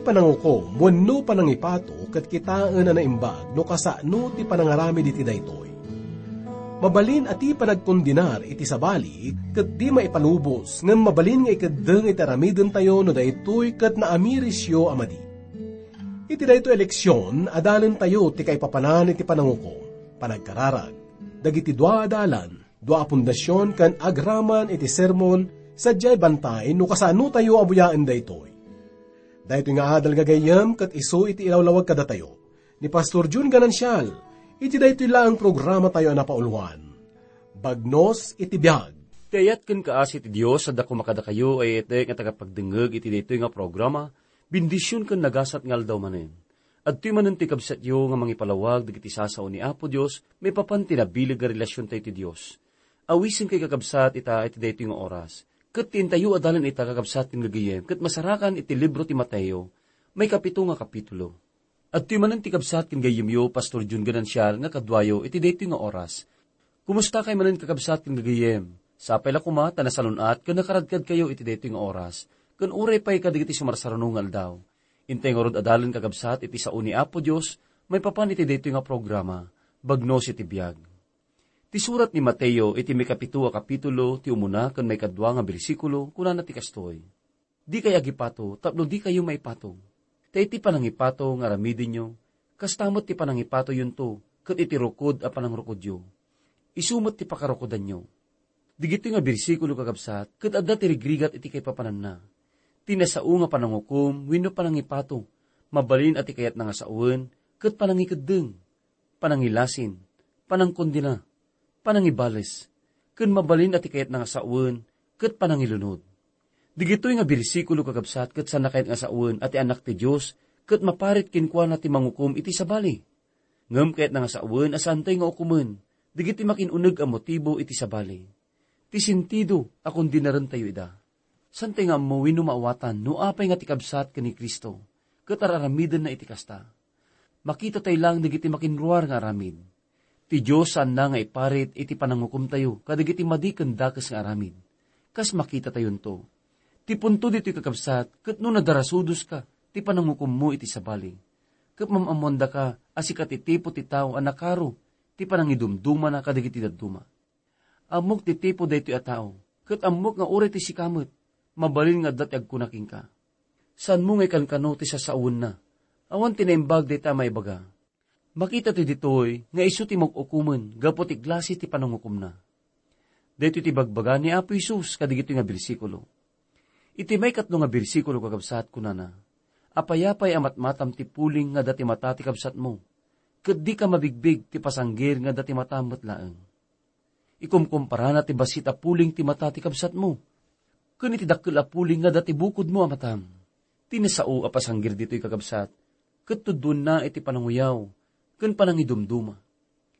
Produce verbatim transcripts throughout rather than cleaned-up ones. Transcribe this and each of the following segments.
Panangukom wenno panangipato ket kitaen a naimbag no kasano ti panangaramid iti daytoy. Mabalin a ti panagkondenar iti sabali ket di maipalubos, ngem mabalin nga ikeddeng iti aramidentayo no daytoy ket naamirisyo a madi. Iti daytoy a leksion, adalentayo ti kaipapanan iti panangukom, panagkararag, dagiti dua a dalan, dua a pundasion ken agraman iti sermon, sadiay bantay no kasanotayo a buyaen daytoy. Daytoy nga adal nga gayyem ket isu iti ilawlawag kadatayo ni Pastor Jun Ganancial iti daytoy laeng programatayo a napauluan, Bagnos iti Biag. Ti ayat ken kaasi ti Dios adda koma kadakayo a yayatek nga tagapagdengngeg iti daytoy nga programa, bendision ken nagasat nga aldaw manen. Adtoy manen ti kabsatyo nga mangipalawag dagiti sao ni Apo Dios maipapan ti nabileg nga relasiontayo ti Dios. Awisenkayo, kakabsat, ita iti daytoy nga oras. Ket ti intayo a dalan ita, kakabsat ken gagayyem, ket masarakan iti libro ti Mateo, maikapito nga kapitulo. Adtoy manen ti kabsat ken gayyemyo, Pastor Jun Ganancial, nga kaduayo iti daytoy nga oras. Kumustakay manen, kakabsat ken gagayyem? Sapay la koma ta nasalun-at ken nakaradkadkayo iti daytoy nga oras, ken uray pay kadagiti sumarsaruno nga aldaw. Intay ngarud a dalan, kakabsat, iti sao ni Apo Dios maipapan iti daytoy nga programa, Bagnos iti Biag. Ti surat ni Mateo iti maikapito a kapitulo, ti umuna ken maikadua nga bersikulo, kunana ti kastoy: Dikay agipato tapno dikayo maipato. Ta iti panangipato nga aramidenyo, kasta met ti panangipatoyonto ket iti rukod a panangrukodyo, isu met ti pakarukodanyo. Digitoy nga bersikulo, kakabsat, ket adda ti rigrigat iti kaipapananna. Ti nasao nga panangukom wenno panangipato, mabalin a ti kayatna nga sawen ket panangikeddeng, panangilasin, panangkondena, panangibales, ken mabalin a ti kayatna nga sawen ket panangilunod. Digitoy nga bersikulo, kakabsat, ket saanna kayat nga sawen a ti Anak ti Dios ket maparit kenkuana ti mangukom iti sabali. Ngem kayatna nga sawen a saantayo nga ukomen dagiti makin-uneg a motibo iti sabali. Ti sentido a kondenarentayo ida. Saantayo nga ammo wenno maawatan no apay nga ti kabsat ken ni Cristo ket ar-aramidenna iti kasta. Makitatayo laeng dagiti makinruar nga aramid. Ti Dios saanna nga iparit iti panangukomtayo kadagiti madi ken dakes nga aramid. Kas makitatayonto, ti punto ditoy, kakabsat, ket no nadarasudoska ti panangukommo iti sabali, ket maam-ammoandaka a sika ti tipo ti tao a nakaro ti panangidumdumana kadagiti dadduma. Ammok ti tipo daytoy a tao, ket ammok nga uray ti sika met, mabalin nga adda ti agkuna kenka. Saanmo nga ikankano ti sasawenna. Awan ti naimbag dayta a maibaga. Makitatayo ditoy nga isu ti mag-ukomen gapu ti klase ti panangukomna. Daytoy ti ibagbaga ni Apo Jesus kadagitoy nga bersikulo. Iti maikatlo nga bersikulo, kakabsat, kunana: Apay-apay a matmatam ti puling nga adda ti mata ti kabsatmo, ket dika mabigbig ti pasanggir nga adda ti matam met laeng. Ikumkumparana ti bassit a puling ti mata ti kabsatmo ken iti dakkel a puling nga adda ti bukodmo a matam. Ti nasao a pasanggir ditoy, kakabsat, ket tuddoenna iti pananguyaw ken panangidumduma.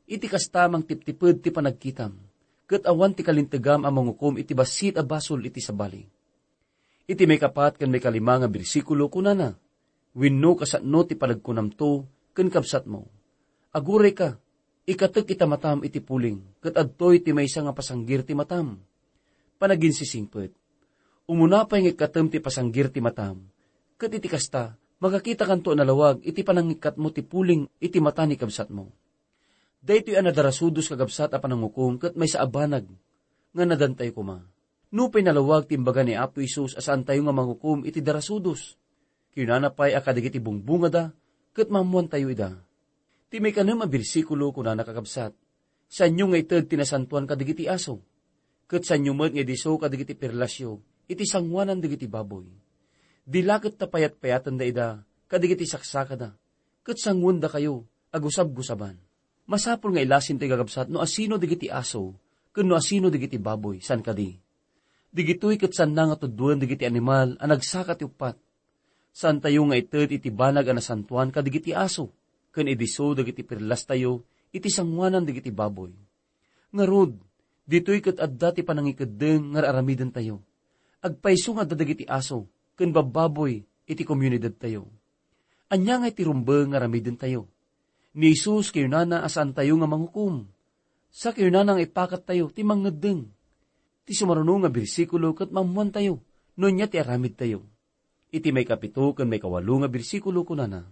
Iti kasta, mangtiptiped ti panagkitam, ket awan ti kalintegam a mangukom iti bassit a basol iti sabali. Iti maikapat ken maikalima nga bersikulo, kunana: Wenno kasano ti panagkunamto ken kabsatmo: Agurayka, ikatek ita matam iti puling, ket adtoy ti maysa nga pasanggir ti matam. Panaginsisingpet. Umuna pay nga ikkatem ti pasanggir ti matam, ket iti kasta, makakitakanto a nalawag iti panangikkatmo ti puling iti mata ni kabsatmo. Daytoy a nadarasudos, kakabsat, a panangukom ket maysa a banag nga nadantayo koma. Nupay nalawag ti imbaga ni Apo Jesus a saantayo nga mangukom iti darasudos, kinunana pay a kadagiti bungbungada ket maammoantayo ida. Ti maikanem a bersikulo, kunana, kakabsat: Saanyo nga ited ti nasantoan kadagiti aso, ket saanyo met nga idisso kadagiti perlasyo iti sangoanan dagiti baboy. Di la ket ta payatpayatenda ida kadagiti saksakada, ket sangoendakayo a gusabgusaban. Masapul nga ilasentayo, kakabsat, no asino dagiti aso ken no asino dagiti baboy, saan kadi? Digitoy ket saanna nga tuddoen dagiti animal a nagsaka ti uppat. Saantayo nga ited iti banag a nasantoan kadagiti aso ken idisso dagiti perlastayo iti sangoanan dagiti baboy. Ngarud, ditoy ket adda ti panangikeddeng nga ar-aramidentayo. Agpayso nga adda dagiti aso ken babbaboy iti komunidadtayo. Ania ngay ti rumbeng nga aramidentayo? Ni Jesus kinunana a saantayo nga mangukom. Sa kinunana nga ipakattayo ti mangngeddeng. Ti sumaruno nga bersikulo ket maammoantayo no ania ti aramidtayo. Iti maikapito ken maikawalo nga bersikulo, kunana,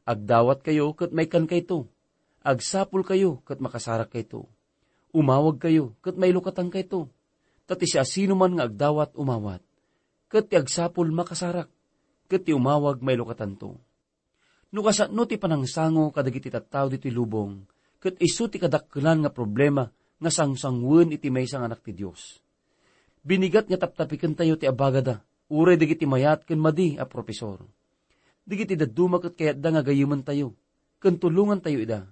"Agdawatkayo ket maikankayto. Agsapulkayo ket makasarakkayto. Umawagkayo ket mailukatankayto. Ta ti siasinoman nga agdawat, umawat. Ket ti agsapul, makasarak. Ket ti umawag, mailukatanto." No kasano ti panangsango kadagiti tattao ditoy lubong, ket isu ti kadakkelan nga problema nga sangsangoen iti maysa nga anak ti Dios. Binigat nga taptapikentayo ti abagada, uray dagiti mayat ken madi a profesor. Dagiti dadduma ket kayatda nga gayyementayo, ken tulongantayo ida.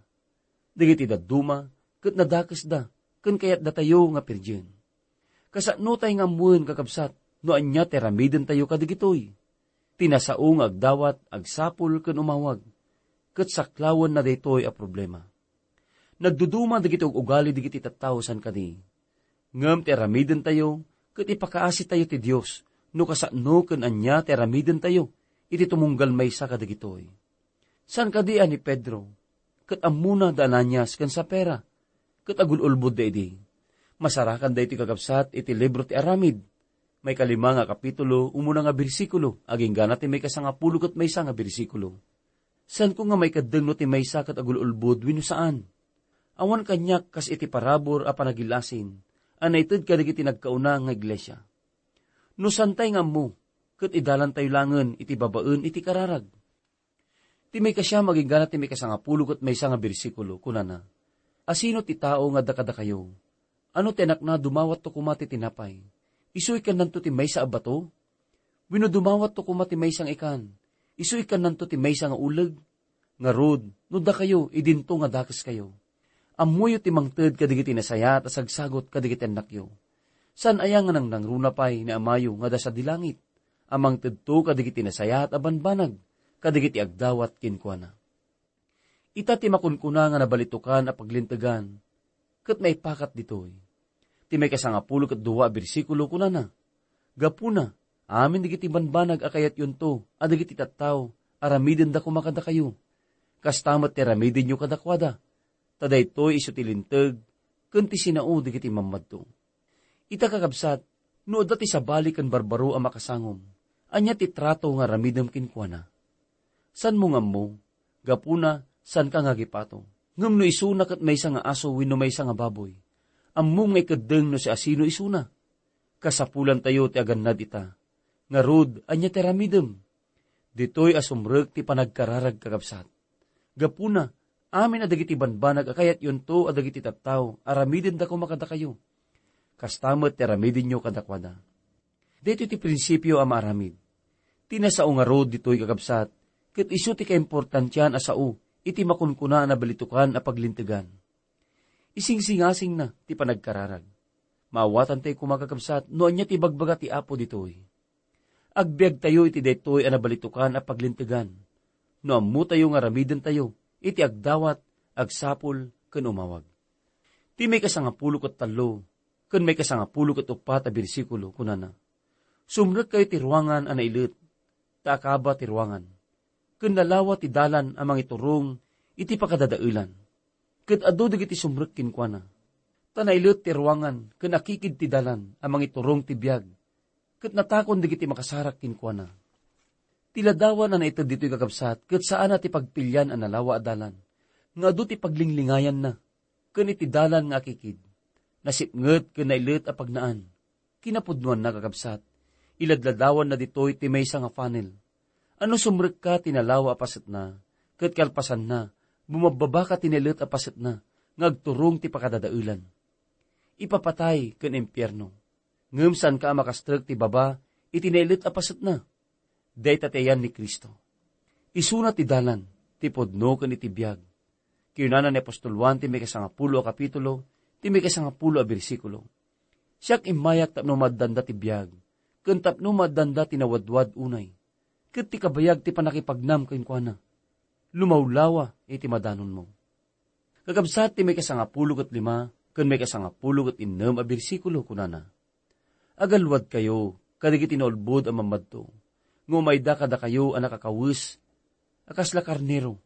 Dagiti dadduma ket nadakesda, ken kayatdatayo nga pirien. Kasano tay nga ammoen, kakabsat, no ania ti aramidentayo kadagitoy? Ti nasao nga agdawat, agsapul ken umawag, ket saklawenna daytoy a problema. Nagduduma dagiti ug-ugali dagiti tattao san kadi. Ngem ti aramidentayo ket ipakaasitayo ti Dios no kasano ken ania ti aramidentayo iti tumunggal maysa kadagitoy. San kadi a ni Pedro, ket ammona da Ananias ken Safira, ket agul-ulbodda idi. Masarakan daytoy, kakabsat, iti libro ti Aramid, maikalima nga kapitulo, umuna nga bersikulo, agingga na ti maikasangapulo ket maysa nga bersikulo. Saanko nga maikeddeng no ti maysa ket agul-ulbod wenno saan. Awan kaniak kas iti parabur a panagil-asin a naited kadagiti nagkauna nga iglesia. No santay nga ammo, ket idalantayo langen iti babaen iti kararag. Ti maikasiam agingga na ti maikasangapulo ket maysa nga bersikulo, kunana, "Asino ti tao nga adda kadakayo? Ano ti anakna dumawatto koma ti tinapay? Isu ikkannanto ti maysa a bato? Wenno dumawatto koma ti maysa nga ikan? Isu ikkannanto ti maysa nga uleg? Ngarud, no dakayo, idinto nga dakeskayo. Ammoyo ti mangted kadagiti nasayaat a sagsagut kadagiti annakyo. Saan aya nga nangnangruna pay ni Amayo nga adda sadi langit a mangtedto kadagiti nasayaat a banbanag kadagiti agdawat kenkuana?" Ita ti makunkuna nga nabalitokan a paglintegan, ket maipakat ditoy. Ti maikasangapulo ket dua a bersikulo, kunana, "Gapuna, amin dagiti banbanag a kayatyonto a dagiti tattao, aramidenda koma kadakayo. Kasta met ti aramidenyo kadakuada, ta daytoy isu ti linteg ken ti sinao dagiti mammadto." Ita, kakabsat, no adda ti sabali ken barbaro a makasangom, ania ti trato nga aramidem kenkuana? Saanmo nga ammo, gapuna, saanka nga agipato. Ngem no isuna ket maysa nga aso wenno maysa nga baboy, ammom nga ikeddeng no siasino isuna. Kasapulantayo ti agannad ita. Ngarud, ania ti aramidem? Ditoy a sumrek ti panagkararag, kakabsat. Gapuna, amin a dagiti banbanag a kayatyonto a dagiti tattao, aramidenda koma kadakayo. Kasta met ti aramidenyo kadakuada. Daytoy ti prinsipio a maaramid. Ti nasao ngarud ditoy, kakabsat, ket isu ti kaimportantian a sao iti makunkuna a nabalitokan a paglintegan. Isingsingasingna ti panagkararag. Maawatantayo koma, kakabsat, no ania ti ibagbaga ti Apo ditoy. Agbiagtayo iti daytoy a nabalitokan a paglintegan no ammotayo nga aramidentayo iti agdawat, agsapul, ken umawag. Ti maikasangapulo ket tallo ken maikasangapulo ket uppat a bersikulo, kunana, "Sumrekkayo ti ruangan a nailet, ta akaba ti ruangan, ken lalawa ti dalan a mangiturong iti pakadadaelan." Ket adu dagiti sumrek kenkuana. Ta nailet ti ruangan ken akikid ti dalan a mangiturong ti biag, ket natakon dagiti makasarak kenkuana. Ti ladawan a naited ditoy, kakabsat, ket saan a ti pagpilian a nalawa a dalan, nga adu ti paglinglingayanna, ken iti dalan nga akikid, nasipnget ken nailet a pagnaan. Kinapudnoanna, kakabsat, iladladawanna ditoy ti maysa nga funnel. A no sumrekka ti nalawa a pasetna, ket kalpasanna, bumabbabaka ti nailet a pasetna nga agturong ti pakadadaelan. Ipapatay ken impierno. Ngem saanka a makastrek ti baba iti nailet a pasetna. Dayta ti ayan ni Cristo. Isuna ti dalan, ti pudno ken iti biag. Kinunana ni apostol Juan ti maikasangapulo a kapitulo, ti maikasangapulo a bersikulo, "Siak immayak tapno maaddanda ti biag, ken tapno maaddanda ti nawadwad unay. Ket ti kabayag ti pannakipagnam kenkuana, lumawlawa iti madanonmo." Kakabsat, ti maikasangapulo ket lima ken maikasangapulo ket innem a bersikulo, kunana, "Agalwadkayo kadagiti naulbod a mammadto, nga umayda kadakayo a nakakawes a kasla karnero,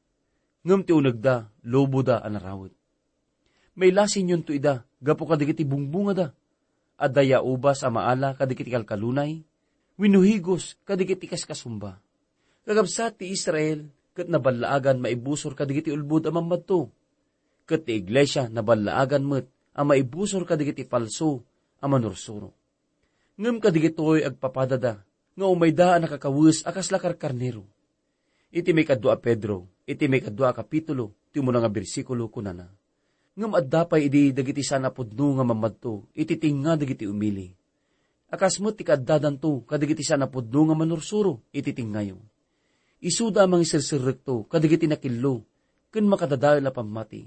ngem ti unegda, loboda a narawet. Mailasinnyonto ida gapu kadagiti bungbungada. Adda ya ubas a maala kadagiti kalkalunay, wenno higos kadagiti kaskasumba. Kakabsat, ti Israel ket naballaagan maibusor kadagiti ulbod a mammadto, ket ti iglesia naballaagan met a maibusor kadagiti falso a manursuro. Ngem kadagitoy agpapadada nga umayda a nakakawes a kasla karkarnero. Iti maikadua a Pedro, iti maikadua a kapitulo, ti umuna nga bersikulo, kunana, "Ngem adda pay idi dagiti saan a pudno nga mammadto iti tengnga dagiti umili, a kas met ti kaaddadanto kadagiti saan a pudno nga manursuro iti tengngayo. Isuda a mangiserserrekto kadagiti nakillo ken makadadael a pammati,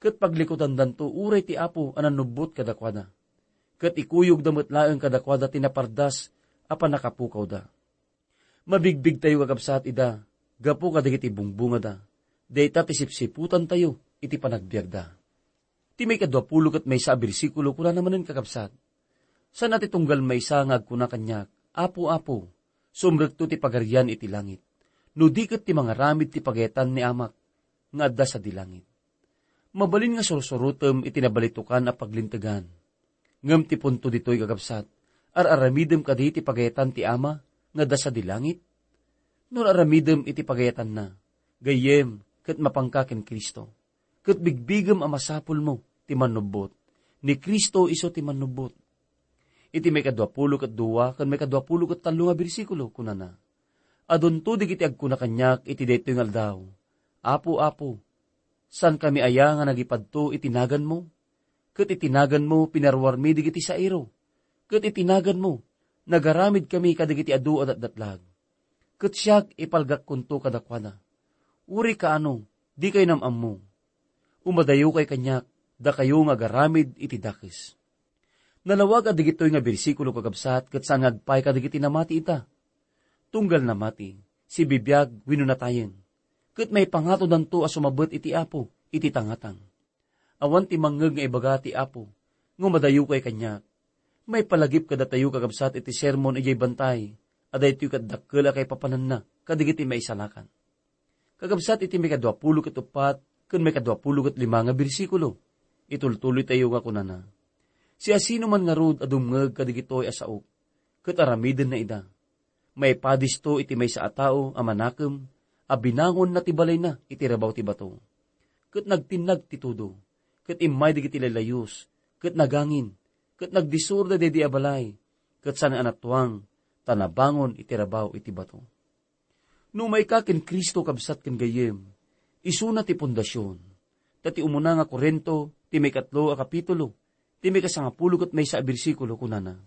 ket paglikutandanto uray ti Apo a nannubbot kadakuada, ket ikuyogda met laeng kadakuada ti napardas a pannakapukawda." Mabigbigtayo, kakabsat, ida gapu kadagiti bungbungada. Dayta ti sipsiputantayo iti panagbiagda. Ti maikadua pulo ket maysa a bersikulo, kunana manen, kakabsat, "Saan a ti tunggal maysa nga agkuna kaniak, 'Apo, Apo, sumrekto ti Pagarian iti langit, no di ket ti mangaramid ti pagayatan ni Amak nga adda sadi langit.'" Mabalin nga sursurotem iti nabalitokan a paglintegan. Ngem ti punto ditoy, kakabsat, ar-aramidem kadi ti pagayatan ti Ama nga adda sadi langit? No ar-aramidem iti pagayatanna, gayyem ket mapanka ken Cristo, ket bigbigem a masapulmo ti mannubbot. Ni Cristo isu ti mannubbot. Iti maikadua pulo ket dua ken maikadua pulo ket tallo nga bersikulo, kunana, "Adunto dagiti agkuna kaniak iti daytoy nga aldaw, 'Apo, Apo, saankami aya nga nagipadto iti naganmo? Ket iti naganmo pinaruarmi dagiti sairo, ket iti naganmo nagaramidkami kadagiti adu a datdatlag. Ket siak, ipalgakkonto kadakuada, 'Uri kaano, dikayo nam-ammo. Umadayokay kaniak, dakayo nga agaramid iti dakes.'" Nalawag a dagitoy nga bersikulo, kakabsat, ket saan nga agpay kadagiti namati ita. Tunggal namati, sibibiag wenno natayen, ket maipangatodanto a sumabet iti Apo iti tangatang. Awan ti mangngeg nga ibaga ti Apo, "Nga umadayokay kaniak." Maipalagip kadatayo, kakabsat, iti sermon idiay bantay a daytoy ket dakkel a kaipapananna kadagiti maisalakan. Kakabsat, iti maikadua pulo ket uppat ken maikadua pulo ket lima nga bersikulo, itultuloytayo nga kunana, "Siasinoman ngarud a dumngeg kadagitoy a saok, ket aramidenna ida, maipadisto iti maysa a tao a manakem a binangonna ti balayna iti rabaw ti bato. Ket nagtinnag ti tudo, ket immay dagiti laylayus, ket nagangin, ket nagdisurda daydi a balay, ket saan a natuang, ta nabangon iti rabaw iti bato." No umayka ken Cristo, kabsat ken gayyem, isuna ti pundasion. Ta ti umuna nga Corinto, ti maikatlo a kapitulo, ti maikasangapulo ket maysa a bersikulo, kunana,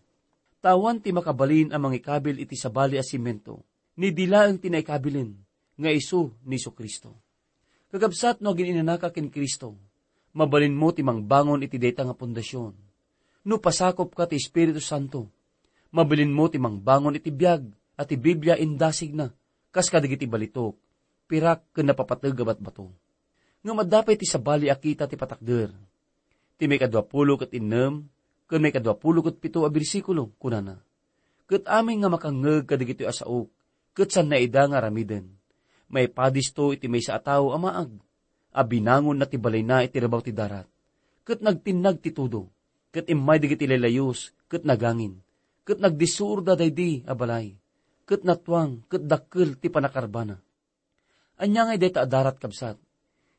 "Ta awan ti makabalin a mangikabil iti sabali a simento, ni di laeng ti naikabilen, nga isu ni Jesu-Cristo." Kakabsat, no agin-inanaka ken Cristo, mabalinmo ti mangbangon iti dayta nga pundasion. No pasakopka ti Espiritu Santo, mabalinmo ti mangbangon iti biag a ti Biblia indasigna, kas kadagiti balitok, pirak ken napapateg a batbato. Ngem adda pay ti sabali a kita ti patakder. Ti maikadua pulo ket innem ken maikadua pulo ket pito a bersikulo, kunana, "Ket amin nga makangngeg kadagitoy a saok, ket saanna ida nga aramiden. Maipadisto iti maysa a tao a maag, a binangonna ti balayna iti rabaw ti darat, ket nagtinnag ti tudo, ket immay dagiti laylayus, ket nagangin, ket nagdisurda daydi a balay, ket natuang, ket dakkel ti pannakarbana." Ania ngay dayta a darat, kabsat?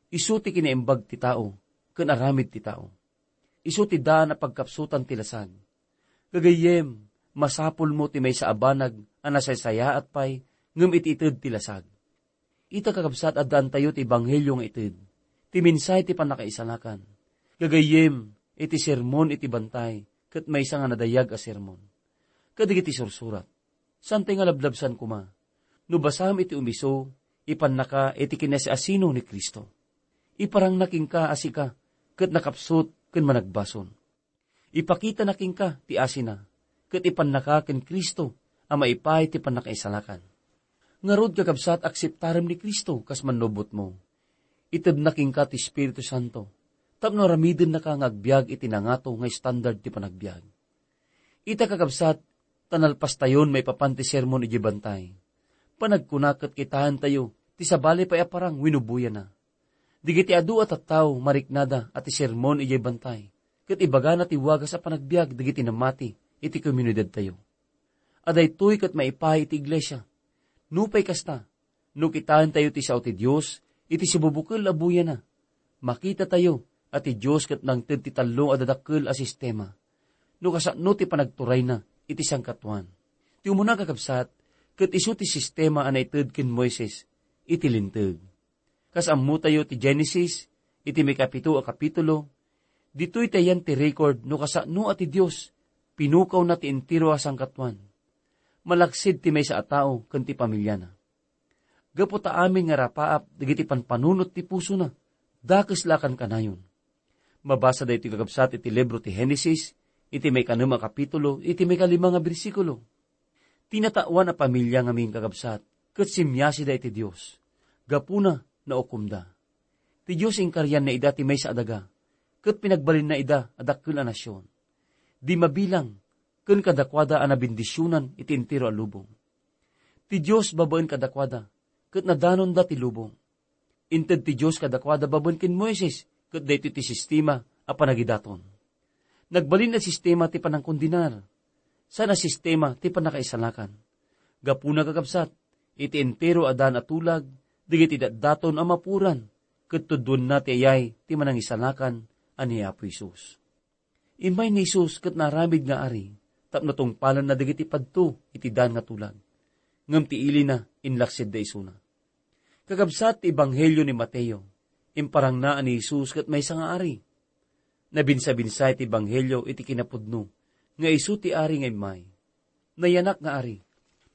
Isu ti kinaimbag ti tao ken aramid ti tao. Isu ti daan a pagkapsutan ti lasag. Gagayyem, masapulmo ti maysa a banag a nasaysayaat pay ngem iti ited ti lasag. Ita, kakabsat, addaantayo ti ebanghelio nga ited, ti mensahe ti pannakaisalakan. Gagayyem, iti sermon iti bantay ket maysa nga nadayag a sermon. Kadagiti sursurat. Saantay nga lablabsan koma. No basam iti umiso, ipannaka iti kinasiasino ni Cristo. Iparangna kenka a sika ket nakapsut ken managbasol. Ipakitana kenka ti asina, ket ipannaka ken Cristo a maipaay ti pannakaisalakan. Ngarud, kakabsat, akseptarem ni Cristo kas mannubotmo. Itedna kenka ti Espiritu Santo tapno aramidennaka nga agbiag iti nangato nga estandard ti panagbiag. Ita, kakabsat, ta nalpastayon maipapan ti sermon idiay bantay. Panagkuna ket kitaentayo ti sabali pay a parang wenno buyana. Dagiti adu a tattao mariknada a ti sermon idiay bantay ket ibagana ti wagas a panagbiag dagiti namati iti komunidadtayo. A daytoy ket maipaay iti iglesia. Nupay kasta, no kitaentayo ti sao ti Dios iti sibubukel a buyana, makitatayo a ti Dios ket nangted ti tallo a dadakkel a sistema, no kasano ti panagturayna iti sangkatuan. Ti umuna, kakabsat, ket isu ti sistema a naited ken Moises iti Linteg. Kas ammotayo ti Genesis, iti maikapito a kapitulo, ditoy ti ayan ti record no kasano a ti Dios pinukawna ti entero a sangkatuan, malaksid ti maysa a tao ken ti pamiliana. Gapu ta amin nga rapaap dagiti panpanunot ti pusona, dakes la a kankanayon. Mabasa daytoy, kakabsat, iti libro ti Genesis, iti maikanem a kapitulo, iti maikalima nga bersikulo. Ti natawan a pamilia ngamin, kakabsat, ket simmiasida iti Dios. Gapuna, naukomda. Ti Dios inkarianna ida ti maysa a daga, ket pinagbalinna ida a dakkel a nasion. Di mabilang, ken kadakuada a nabendisionan iti entero a lubong. Ti Dios babaen kadakuada, ket nadanonda ti lubong. Inted ti Dios kadakuada babaen ken Moises, ket daytoy ti sistema a panagidaton. Nagbalin a sistema ti panangkondenar, saan a sistema ti pannakaisalakan. Gapuna, kakabsat, iti entero a daan a tulag, dagiti datdaton a mapuran, ket tudduenna ti ayay ti manangisalakan a ni Apo Jesus. Immay ni Jesus ket naaramid nga ari, tapno tungpalenna dagiti padto iti daan nga tulag. Ngem ti ilina, inlaksidda isuna. Kakabsat, ti ebanghelio ni Mateo, imparangna a ni Jesus ket maysa nga ari. Nabinsabinsay ti ebanghelio iti kinapudno nga isu ti ari nga immay. Nayanak nga ari,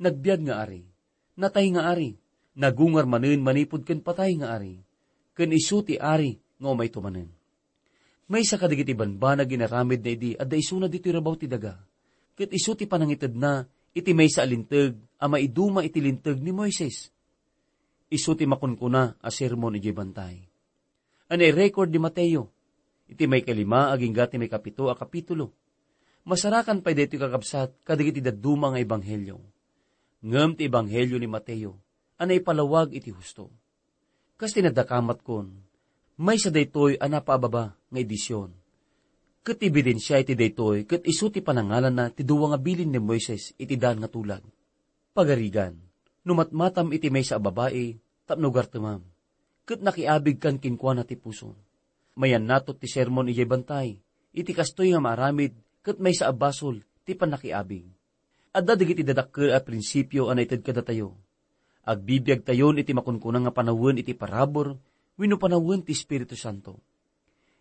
nagbiag nga ari, natay nga ari, nagungar manen manipud ken patay nga ari, ken isu ti ari nga umayto manen. Maysa kadagiti banbanag inaramidna idi adda isuna ditoy rabaw ti daga, ket isu ti panangitedna iti maysa a linteg a maiduma iti linteg ni Moises. Isu ti makunkuna a sermon idiay bantay a nairecord ni Mateo iti maikalima agingga ti maikapito a kapitulo. Masarakan pay daytoy, kakabsat, kadagiti dadduma nga ebanghelio. Ngem ti ebanghelio ni Mateo a naipalawag iti husto. Kas ti nadakamatkon, maysa daytoy a napaababa nga edision. Ket ti ebidensia iti daytoy ket isu ti panangalanna ti dua nga bilin ni Moises iti daan nga tulag. Pagarigan, no matmatam iti maysa a babai tapno gartemam, ket nakiabigkan kenkuana ti pusom. Mayannato ti sermon idiay bantay iti kastoy nga maaramid ket maysa a basol ti pannakiabig. Adda dagiti dadakkel a prinsipio a naited kadatayo. Agbibiagtayon iti makunkuna nga panawen iti parabur wenno panawen ti Espiritu Santo.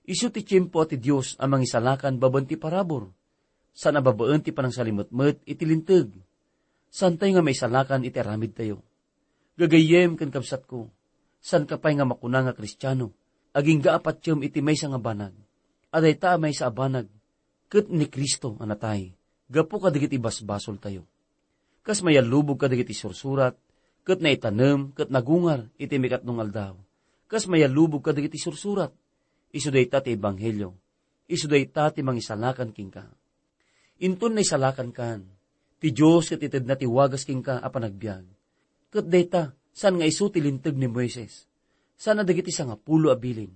Isu ti tiempo a ti Dios a mangisalakan babaen ti parabur, saan a babaen ti panangsalimetmet iti linteg. Saantayo nga maisalakan iti aramidtayo. Gagayyem ken kabsatko, saanka pay nga makuna nga Kristiano, agingga a patiem iti maysa nga banag. A dayta a maysa a banag, ket ni Cristo a natay gapu kadagiti basbasoltayo. Kas mayallubog kadagiti sursurat, ket naitanem ket nagungar iti maikatlo nga aldaw. Kas mayallubog kadagiti sursurat, isu dayta ti ebanghelio, isu dayta ti mangisalakan kenka. Inton naisalakankan, ti Dios ket itedna ti wagas kenka a panagbiag. Ket dayta, saan nga isu ti linteg ni Moises, saan a dagiti sangapulo a bilin.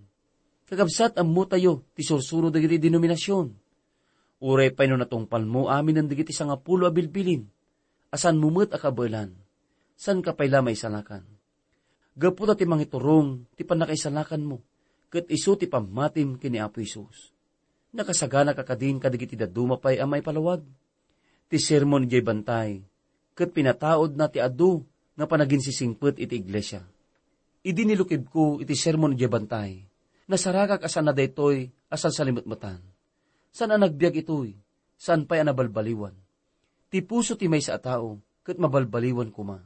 Kakabsat, ammotayo ti sursuro dagiti denominasion. Uray pay no natungpalmo aminen dagiti sangapulo a bilbilin, a saanmo met a kabaelan, saanka pay la maisalakan. Gapu ta ti mangiturong ti pannakaisalakanmo, ket isu ti pammatim ken ni Apo Jesus. Nakasagana ka kadin kadagiti dadduma pay a maipalawag? Ti sermon idiay bantay, ket pinataudna ti adu nga panaginsisingpet iti iglesia. Idi nilukibko iti sermon idiay bantay, nasaragak a saan a daytoy a sansalimetmetan. Saan a nagbiag itoy, saan pay a nabalbaliwan. Ti puso ti maysa a tao ket mabalbaliwan koma.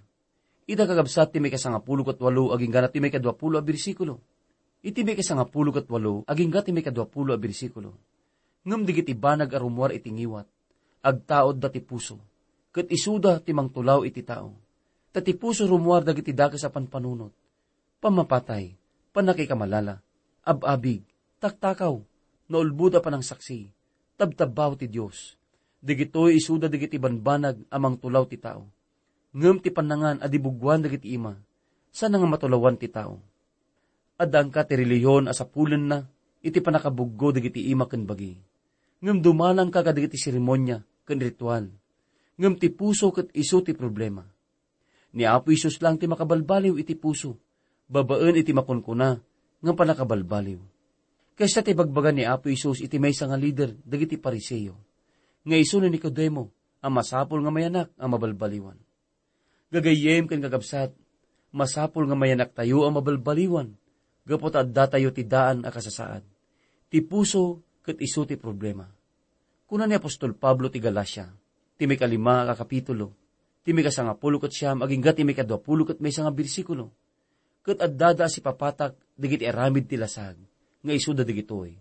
Ita, kakabsat, ti maikasangapulo ket walo agingga ti maikaduapulo a bersikulo. Iti maikasangapulo ket walo agingga ti maikaduapulo a bersikulo. Ngem dagiti banag a rumuar iti ngiwat, agtaudda ti puso, ket isuda ti mangtulaw iti tao. Ta ti puso rumuar dagiti dakes a panpanunot, pammapatay, pannakikamalala, ab-abig, taktakaw, naulbod a panangsaksi, tabtabbao ti Dios. Dagitoy isuda dagiti banbanag a mangtulaw ti tao. Ngem ti pannangan a di buggoan dagiti ima, saan nga matulawan ti tao. Addaanka ti relihiyon a sapulenna iti pannakabuggo dagiti ima ken bagi. Ngem dumalangka kadagiti seremonia ken ritual. Ngem ti puso ket isu ti problema. Ni Apo Jesus lang ti makabalbaliw iti puso, babaen iti makunkuna nga pannakabalbaliw. Kasta ti bagbaga ni Apo Jesus iti maysa nga lider dagiti Fariseo, nga isu ni Nicodemo, a masapul nga mayanak a mabalbaliwan. Gagayyem ken kakabsat, masapul nga mayanaktayo a mabalbaliwan gapu ta addatayo ti daan a kasasaad. Ti puso ket isu ti problema. Kuna ni apostol Pablo ti Galacia, ti mikalima a kapitulo, ti mikasangapulo ket siam agingga ti mikaduapulo ket maysa nga bersikulo, ket addada a sipapatak dagiti aramid ti lasag, nga isuda dagitoy: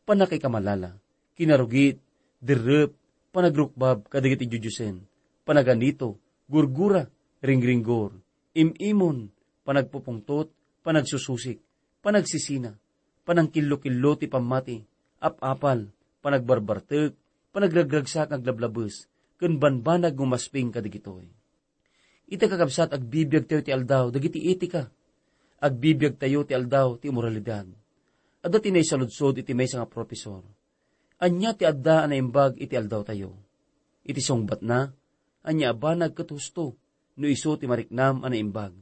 pannakaikamalala, kinarugit, derrep, panagrukbab kadagiti diodiosen, panaganito, gurgura, ringringgor, im-imon, panagpupungtot, panagsususik, panagsisina, panangkillokillo ti pammati, ap-apal, panagbarbartek, panagragragsak nga aglablabes, ken banbanag nga umasping kadagitoy. Ita, kakabsat, agbibiagtayo ti aldaw dagiti etika. Agbibiagtayo ti aldaw ti imoralidad. Adda ti naisaludsod iti maysa nga profesor: "Ania ti adda a naimbag iti aldawtayo?" Iti sungbatna, ania a banag ket husto no isu ti mariknam a naimbag?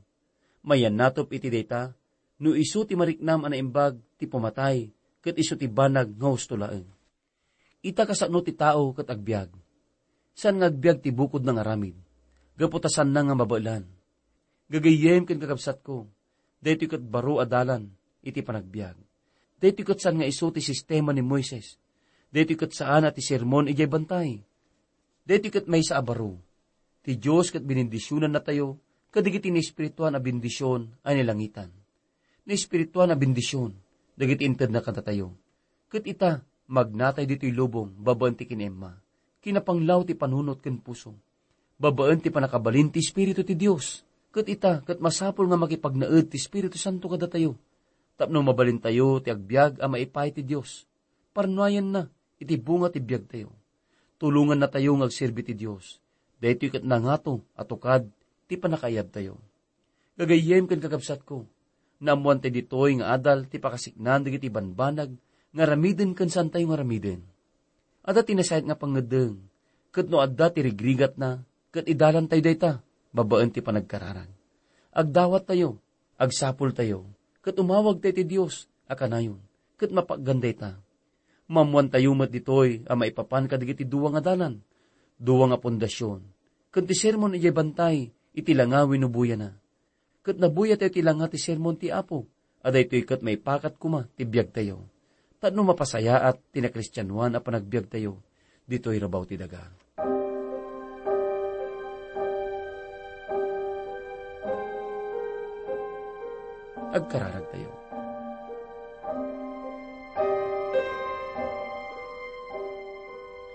Mayannatop iti dayta, no isu ti mariknam a naimbag ti pumatay, ket isu ti banag nga husto laeng. Ita, kasano ti tao ket agbiag. Saan nga agbiag ti bukodna nga aramid, gapu ta saanna nga mabaelan. Gagayyem ken kakabsatko, daytoy ket baro a dalan iti panagbiag. Daytoy ket saan nga isu ti sistema ni Moises. Daytoy ket saan a ti sermon idiay bantay. Daytoy ket maysa a baro. Ti Dios ket binendisionannatayo kadagiti naespirituan a bendision a nilangitan. Naespirituan a bendision dagiti intedna kadatayo. Ket ita, magnatay ditoy lubong babaen ti kinaemma, kinapanglaw ti panunot ken puso, babaen ti pannakabalin ti Espiritu ti Dios. Ket ita, ket masapul nga makipagnaed ti Espiritu Santo kadatayo, tapno mabalintayo ti agbiag a maipaay ti Dios. Parnuayenna iti bunga ti biagtayo. Tulongannatayo nga agserbi ti Dios. Daytoy ket nangato a tukad ti pannakaayabtayo. Gagayyem ken kakabsatko, naammoantay ditoy nga adal ti pakasiknaan dagiti banbanag nga aramiden ken saantayo nga aramiden. Adda ti nasayaat nga pangngeddeng, ket no adda ti rigrigatna, ket idalantayo dayta babaen ti panagkararag. Agdawattayo, agsapultayo, ket umawagtayo ti Dios a kanayon, ket mapaggan dayta. Maammoantayo met ditoy a maipapan kadagiti dua nga dalan, dua nga pundasion, ken ti sermon idiay bantay iti langa wenno buyana. Ket nabuyatayo ti langa ti sermon ti Apo, a daytoy ket maipakat koma ti biagtayo, tapno mapasayaat ti nakristianoan a panagbiagtayo ditoy rabaw ti daga. Agkararagtayo.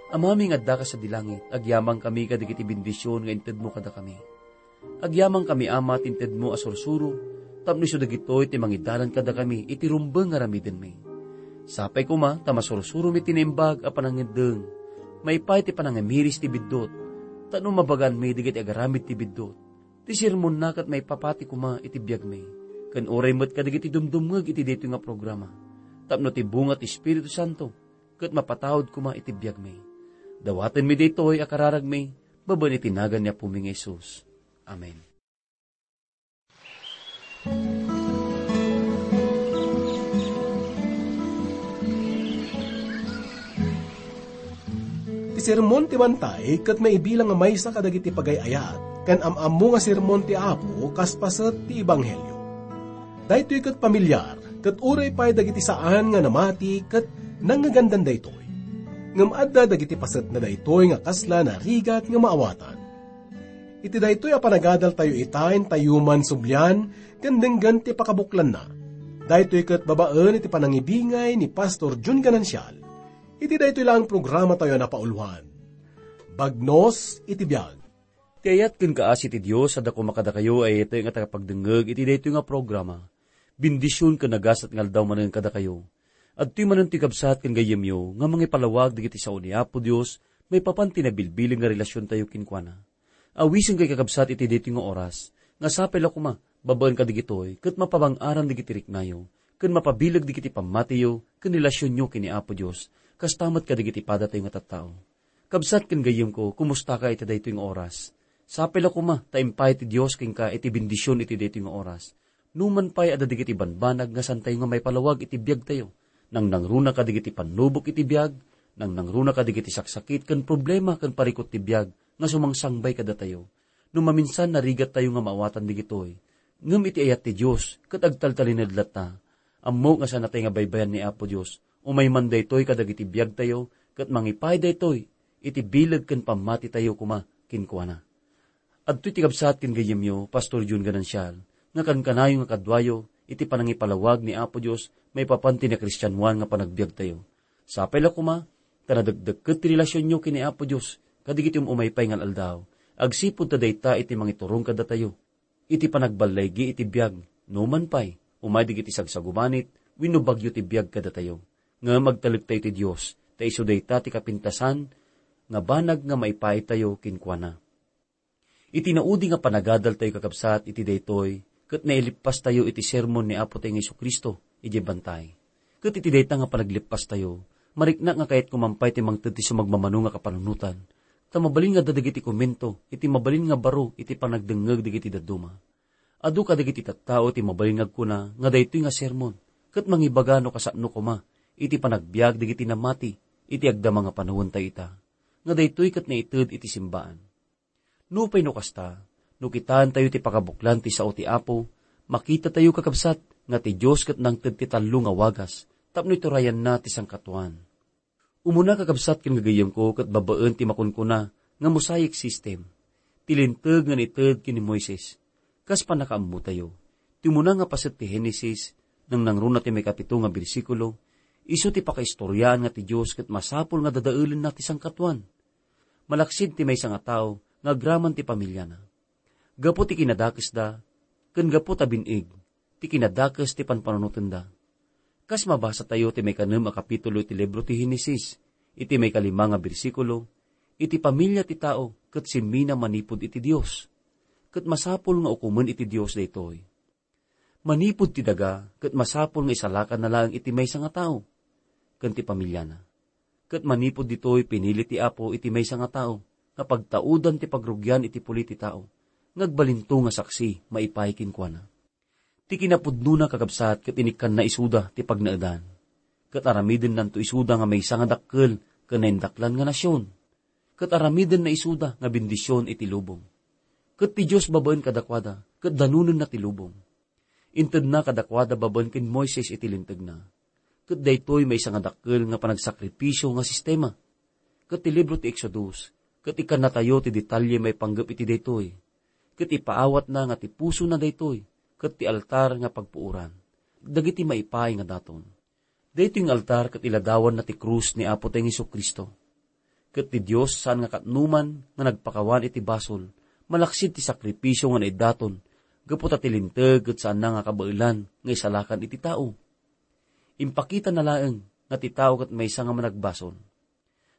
Amami nga addaka sadi langit, agyamankami kadagiti bendision nga intedmo kadakami. Agyamankami, Ama, ti intedmo a sursuro, tapno isu dagitoy ti mangidalan kadakami iti rumbeng nga aramidenmi. Sapay koma ta masursuromi ti naimbag a panangngeddeng, maipaay ti panangamiris ti biddut, tapno mabaganmi dagiti agaramid ti biddut. Ti sermonna ket maipapati koma iti biagmi, ken uray met kadagiti dumdumngeg iti daytoy nga programa, tapno ti bunga ti Espiritu Santo ket mapataud koma iti biagmi. Dawatenmi daytoy a kararagmi babaen iti nagan ni Apomi nga Jesus. Amen. Ti sermon ti bantay ket maibilang a maysa kadagiti pagay-ayat ken am-ammo nga sermon ti Apo kas paset ti Ebanghelio. Daytoy ket pamilyar, ket uray pay dagiti saan nga namati ket nangngegandan daytoy. Ngem adda dagiti pasetna daytoy nga kasla narigat nga maawatan. Iti daytoy a panagadaltayo ita, intayo man sublian ken denggen ti pakabuklanna. Daytoy ket babaen iti panangibingay ni Pastor Jun Ganancial iti daytoy laeng programatayo a napauluan, Bagnos iti Biag. Ti ayat ken kaasi ti Dios a dakuma kadakayo a iyaten nga tagapagdengngeg iti daytoy nga programa. Bendision ken nagasat nga aldaw manen kadakayo. Adtoy manen ti kabsat ken gayyemyo nga mangipalawag dagiti sao ni Apo Dios maipapan ti nabilbileg nga relasiontayo kenkuana. Awisen kay kakabsat iti daytoy nga oras, nga sapay la koma, babaen kadagitoy, ket mapabang-aran dagiti riknayo, ken mapabileg dagiti pammatiyo ken relasionyo ken ni Apo Dios, kasta met kadagiti padatayo nga tattao. Kabsat ken gayyemko, kumustaka iti daytoy nga oras? Sapay la koma ta impay ti Dios kenka iti bendision iti daytoy nga oras. Numan pay adda dagiti banbanag nga santayo nga maipalawag iti biagtayo. Nangnangruna kadagiti pannubok iti biag, nangnangruna kadagiti saksakit ken problema ken parikut ti biag nga sumangsangbay kadatayo. No maminsan narigattayo nga maawatan dagitoy, ngem iti ayat ti Dios ket agtaltalined latta. Ammok nga saanatay nga baybayan ni Apo Dios. Umay man daytoy kadagiti biagtayo ket mangipay daytoy iti bileg ken pammatitayo koma kenkuana. Adtoy ti kabsat ken gayyemyo, Pastor Jun Ganancial, nga kankanayo nga kaduayo iti panangipalawag ni Apo Dios maipapan ti nakristianoan nga panagbiagtayo. Sapay la koma ta nadekdekket ti relasionyo ken ni Apo Dios kadagiti um-umay pay nga al-aldaw, agsipud ta dayta iti mangiturong kadatayo iti panagballaygi iti biag, numan pay, umay dagiti sagsagubanit wenno bagyo ti biag kadatayo. Ngem agtalektayo ti Dios, ta isu dayta ti kapintasan nga banag nga maipaitayo kenkuana. Iti naudi nga panagadaltayo, kakabsat, iti daytoy, ket nailippastayo iti sermon ni Apo tayo nga Jesu-Cristo idiay bantay. Ket iti dayta nga panaglippastayo, mariknak nga kayatko man pay ti mangted ti sumagmamano nga kapanunotan, ta mabalin nga adda dagiti komento iti mabalin nga baro iti panagdengngeg dagiti dadduma. Adu kadagiti tattao ti mabalin nga agkuna nga daytoy nga sermon ket mangibaga no kasano koma iti panagbiag dagiti namati iti agdama nga panawentayo ita, nga daytoy ket naited iti simbaan. Nupay no kasta, no kitaentayo ti pakabuklan ti sao ti Apo, makitatayo, kakabsat, nga ti Dios ket nangted ti tallo nga wagas tapno iturayanna ti sangkatuan. Umuna, kakabsat ken gagayyemko, ket babaen ti makunkuna nga mosaic system, ti linteg nga naited ken ni Moises. Kas pannakaammotayo, ti umuna nga paset ti Genesis, nangnangruna ti maikapito nga bersikulo, isu ti pakaistoriaan nga ti Dios ket masapul nga dadaelenna ti sangkatuan. Malaksid ti maysa nga tao nga agraman ti pamiliana. Gapu ti kinadakesda, ken gapu ta bin-ig ti kinadakes ti panpanunotenda. Kas mabasatayo ti maikanem a kapitulo iti libro ti Genesis, iti maikalima nga bersikulo, iti pamilia ti tao ket simmina manipud iti Dios. Ket masapul nga ukomen iti Dios daytoy. Manipud ti daga, ket masapul nga isalakanna laeng iti maysa nga tao ken ti pamiliana. Ket manipud ditoy, pinili ti Apo iti maysa nga tao nga pagtaudan ti pagrugian iti puli ti tao, nga agbalinto nga saksi maipaay kenkuana. Ti kinapudnona, kakabsat, ket inikkanna isuda ti pagnaedan. Ket aramidennanto isuda nga maysa nga dakkel ken naindaklan nga nasion. Ket aramidenna isuda nga bendision iti lubong. Ket ti Dios babaen kadakuada, ket danonenna ti lubong. Intedna kadakuada babaen ken Moises iti lintegna. Ket daytoy maysa nga dakkel nga panagsakripisio nga sistema. Ket ti libro ti Exodus, ket ikkannatayo ti detalye maipanggep iti daytoy. Ket ipaawatna nga ti pusona daytoy, ket ti altar nga pagpuoran dagiti maipaay nga daton. Daytoy nga altar ket iladawanna ti krus ni Apo tayo nga Jesu-Cristo. Ket ti Dios saan nga katnoman nga nagpakawan iti basol, malaksid ti sakripisio nga naidaton, gapu ta ti linteg ket saanna nga kabaelan nga isalakan iti tao. Impakitana laeng nga ti tao ket maysa nga managbasol.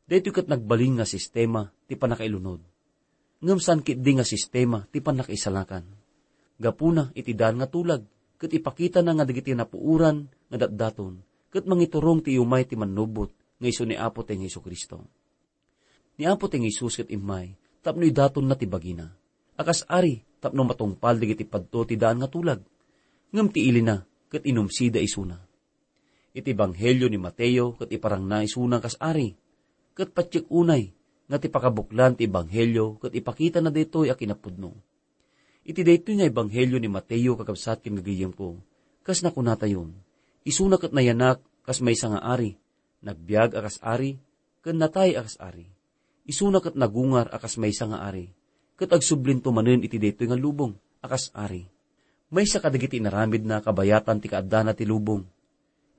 Daytoy ket nagbalin nga sistema ti pannakailunod. Ngem saan ketdi nga sistema ti pannakaisalakan. Gapuna iti daan nga tulag, ket ipakitana nga dagiti napuoran nga datdaton, ket mangiturong ti iumay ti mannubot nga isu ni Apo tayo nga Jesu-Cristo. Ni Apo tayo nga Jesus ket immay tapno idatonna ti bagina a kas ari tapno matungpal dagiti padto ti daan nga tulag. Ngem ti ilina ket inumsida isuna. Iti Ebanghelio ni Mateo ket iparangna isuna kas ari, ket patiek unay nga ti pakabuklan ti Ebanghelio ket ipakitana daytoy a kinapudno. Iti daytoy nga Ebanghelio ni Mateo, kakabsat ken gagayyemko, kas nakunatayon, isuna ket nayanak kas maysa nga ari, nagbiag a kas ari, ken natay a kas ari. Isuna ket nagungar a kas maysa nga ari, ket agsublinto manen iti daytoy nga lubong a kas ari. Maysa kadagiti inaramidna kabayatan ti kaaddana ti lubong,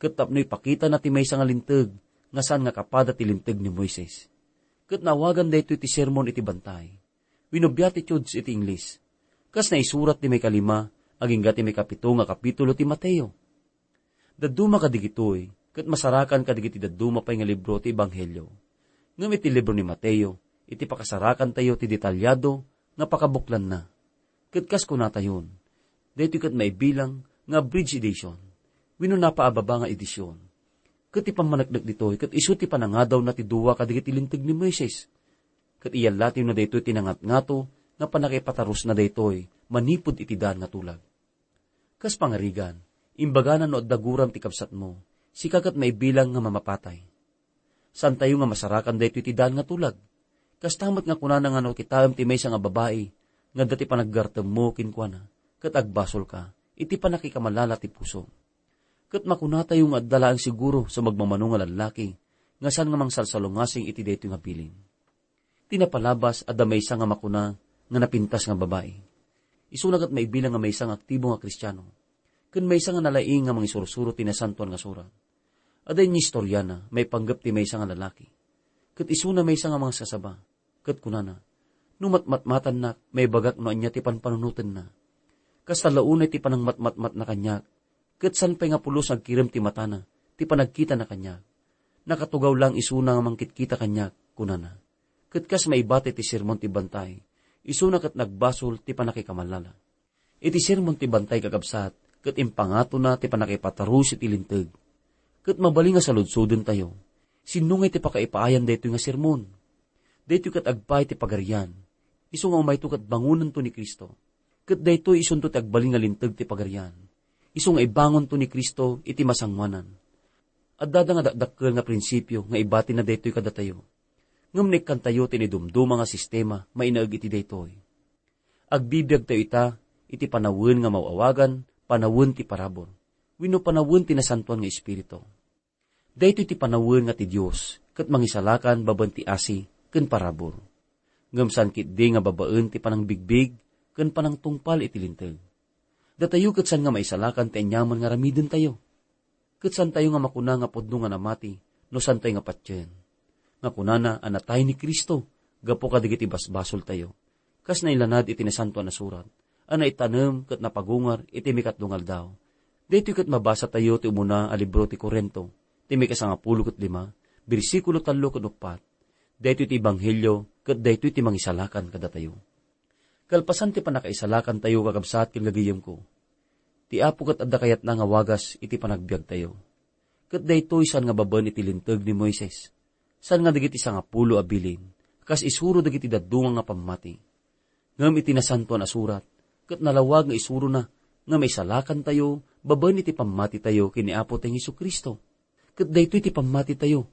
ket tapno ipakitana ti maysa nga linteg nga saan nga kapada ti linteg ni Moises. Ket naawagan daytoy ti sermon iti bantay, wenno Beatitudes iti Ingles, kas naisurat ti maikalima agingga ti maikapito nga kapitulo ti Mateo. Dadduma kadagitoy, ket masarakan kadagiti dadduma pay nga libro ti Ebanghelio. Ngem iti libro ni Mateo, iti pakasarakantayo ti detalyado nga pakabuklanna. Ket kas kunatayon, daytoy ket maibilang nga abridged edition, wenno napaababa nga edition. Ket ti pammaneknek ditoy ket isu ti panangadawna ti dua kadagiti linteg ni Moises. Ket iyallatewna daytoy ti nangatngato nga pannakaipatarusna daytoy manipud iti daan nga tulag. Kas pangarigan, imbagana no adda guram ti kabsatmo, sika ket maibilang nga mamapatay. Saantayo nga masarakan daytoy ti daan nga tulag. Kasta met nga kunana nga no kitaem ti maysa nga babai nga adda ti panaggartemmo kenkuana, ket agbasolka iti pannakikamalala ti puso. Ket makunatayo nga adda laeng siguro sa magmamano nga lallaki nga saan nga mangsalsalungasing iti daytoy nga bilin. Ti napalabas, adda maysa nga makuna nga napintas nga babai. Isuna ket maibilang nga maysa nga aktibo nga Kristiano, ken maysa nga nalaing nga mangisursuro ti Nasantoan nga Surat. Adda inistoriana maipanggep ti maysa nga lalaki. Ket isuna maysa nga mangasasaba, ket kunana, "No matmatmatannak, maibagak no ania ti panpanunotenna. Kasta la unay ti panangmatmatmatna kaniak, ket saan pay nga pulos nga agkirem ti matana, ti panagkitana kaniak. Nakatugaw laeng isuna nga mangkitkita kaniak," kunana. Ket kas maibati ti sermon ti bantay, isuna ket nagbasol ti pannakikamalala. Iti sermon ti bantay, kakabsat, ket impangatona ti pannakaipatarus iti linteg. Ket mabalin nga saludsodentayo, sinno ngay ti pakaipaayan daytoy nga sermon? Daytoy ket agpaay ti Pagarian. Isu nga umayto ket bangonento ni Cristo. Ket daytoy isunto ti agbalin nga linteg ti Pagarian. Isu nga ibangonto ni Cristo iti masangoanan. Addada nga dakdakkel nga prinsipio nga ibatina daytoy kadatayo. Ngem naikkantayo ti naidumduma nga sistema mainaeg iti daytoy. Agbibiagtayo ita iti panawen nga maw-awagan panawen ti parabur, wenno panawen ti Nasantoan nga Espiritu. Daytoy ti panawen nga ti Dios ket mangisalakan babaen ti asi ken parabur. Ngem saan ketdi nga babaen ti panangbigbig ken panangtungpal iti linteg. Datayo ket saan nga maisalakan ti aniaman nga aramidentayo. Ket saantayo nga makuna nga pudno nga namati no saantayo nga patien. Nga kunana a natay ni Cristo gapu kadagiti basbasoltayo, kas nailanad iti Nasantoan a Surat, a naitanem ket napagungar iti mikatlo nga aldaw. Daytoy ket mabasatayo ti umuna a libro ti Corinto, ti mikasangapulo ket lima, bersikulo tallo ken uppat. Daytoy ti ebanghelio ket daytoy ti mangisalakan kadatayo. Kalpasan ti pannakaisalakantayo, kakabsat ken gagayemko, ti Apo ket adda kayatna nga wagas iti panagbiagtayo. Ket daytoy saan nga babaen iti linteg ni Moises, saan nga dagiti sangapulo a bilin, kas isuro dagiti dadduma nga pammati. Ngem iti Nasantoan a Surat, ket nalawag nga isurona nga maisalakantayo babaen iti pammatitayo ken ni Apotayo Jesu-Cristo. Ket daytoy ti pammatitayo,